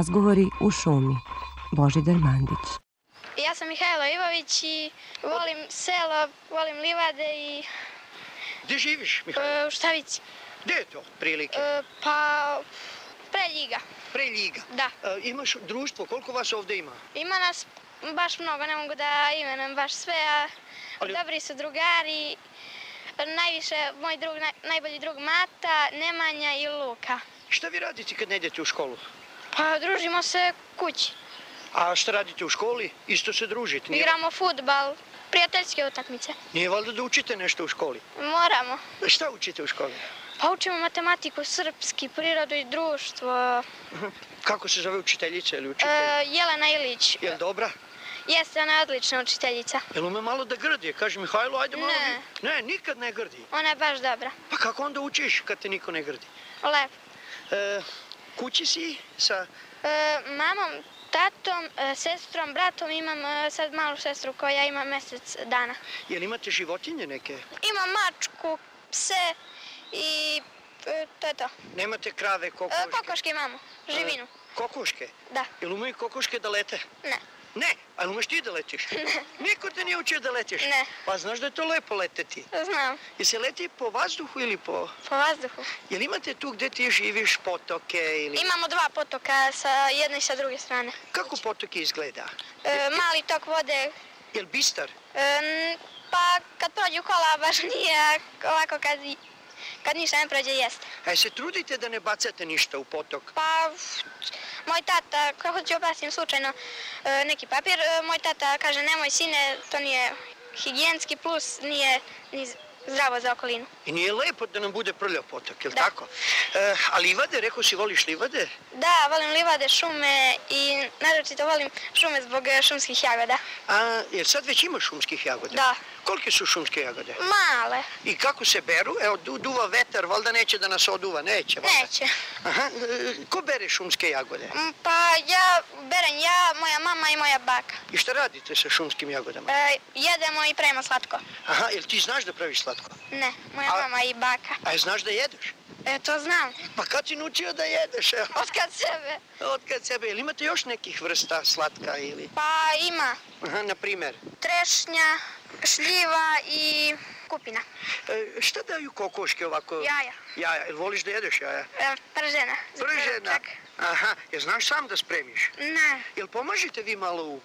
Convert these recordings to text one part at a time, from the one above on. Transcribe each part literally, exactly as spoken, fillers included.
Razgovori u šumi. Božidar Mandić. Ja sam Mihajlo Ivović i volim selo, volim livade i... Gde živiš, Mihajlo? U Štavici. Gde je to, prilike? Pa, pre Ljiga. Pre Ljiga? Da. Imaš društvo, koliko vas ovde ima? Ima nas baš mnogo, ne mogu da imenujem baš sve, a dobri su drugari. Najviše moj drug, najbolji drug Mata, Nemanja i Luka. Šta vi radite kad ne idete u školu? Pa družimo se kući. A šta radite u školi? Isto se družite? Igramo fudbal, prijateljske utakmice. Nije valjda da učite nešto u školi? Moramo. Šta učite u školi? Pa učimo matematiku, srpski, prirodu i društvo. Kako se zove učiteljica ili učitelj? E, Jelena Ilić. Je li dobra? Jeste, ona je odlična učiteljica. Jel ume malo da grdi? Kaže Mihajlo, ajde malo... Ne. Ne, nikad ne grdi. Ona je baš dobra. Pa kako onda učiš kad te niko ne grdi? Lepo. E, kući si sa... E, mamom, tatom, e, sestrom, bratom, imam e, sad malu sestru koja ima mesec dana. Jel imate životinje neke? Imam mačku, pse i e, to je to. Nemate krave, kokoške? E, kokoške imamo, živinu. E, kokoške? Da. Jel umeju kokoške da lete? Ne. Ne, ali umeš ti da letiš? Ne. Niko te nije učio da letiš? Ne. Pa znaš da je to lepo leteti? Znam. Jel se leti po vazduhu ili po... Po vazduhu. Jel imate tu gde ti živiš potoke ili... Imamo dva potoka sa jedne i sa druge strane. Kako potok izgleda? E, mali tok vode. Jel bistar? E, pa kad prođu kola baš nije, ovako kad, kad ništa ne prođe jeste. A se trudite da ne bacate ništa u potok? Pa, moj tata, kako ću opastim slučajno e, neki papir, e, moj tata kaže nemoj sine, to nije higijenski, plus nije ni zdravo za okolinu. I nije lepo da nam bude prljav potok, jel Da. tako? E, a livade, rekao si voliš livade? Da, volim livade, šume i naročito volim šume zbog e, šumskih jagoda. A, jer sad već ima šumskih jagoda? Da. Kolike su šumske jagode? Male. I kako se beru? Evo, du, duva vetar, valjda neće da nas oduva, neće valjda? Neće. Aha, e, ko bere šumske jagode? Mm, Pa ja berem ja, moja mama i moja baka. I šta radite sa šumskim jagodama? E, jedemo i pravimo slatko. Aha, jel ti znaš da praviš slatko? Ne, moja A- mama i baka. A znaš da jedeš? E, to znam. Pa kad si naučio da jedeš? Evo? Od kad sebe. Od kad sebe. Jel imate još nekih vrsta slatka ili? Pa ima Aha, na primer. trešnja, šljiva i kupina. E, šta daju kokoške ovako? Jaja. Jaja. Jel voliš da jedeš jaja? E, pržena. za Pržena. čak. Aha, jel znaš sam da spremiš? Ne, Jel pomažete vi malo u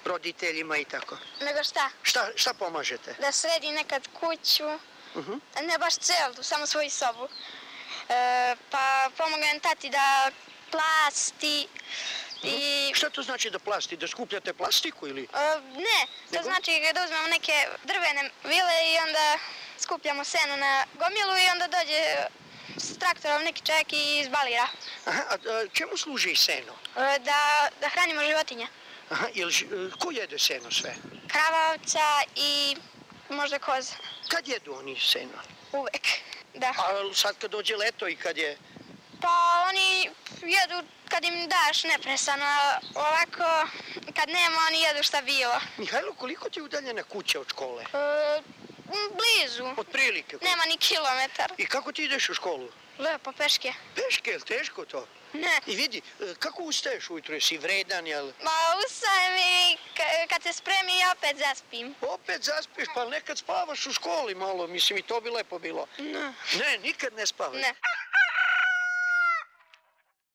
roditeljima i tako? nego šta? Šta, šta pomažete? Da sredi nekad kuću, Uh ne baš celu, samo svoju sobu. E, pa pomogem tati da plasti i... Šta to znači da plasti? Da skupljate plastiku ili? E, ne, to Nego? znači da uzmemo neke drvene vile i onda skupljamo seno na gomilu i onda dođe s traktorom neki čovjek i izbalira. Aha, a, a čemu služi seno? E, da, da hranimo životinje. Aha, jel, ž- ko jede seno sve? Krava, ovca i možda koza. Kad jedu oni seno? Uvek, da. A sad kad dođe leto i kad je... Pa oni jedu kad im daš neprestano, a ovako kad nema oni jedu šta bilo. Mihajlo, koliko ti je udaljena kuća od škole? E, blizu, Od prilike. nema ni kilometar. I kako ti ideš u školu? Lepo, peške. Peške, jel teško to? Ne. I vidi, e, kako ustaješ ujutro? Jesi vredan, jel? Ma ustajem i ka- kad se spremi ja opet zaspim. Opet zaspiš, pa nekad spavaš u školi malo, mislim i to bi lepo bilo. Ne. Ne, nikad ne spavaš. Ne.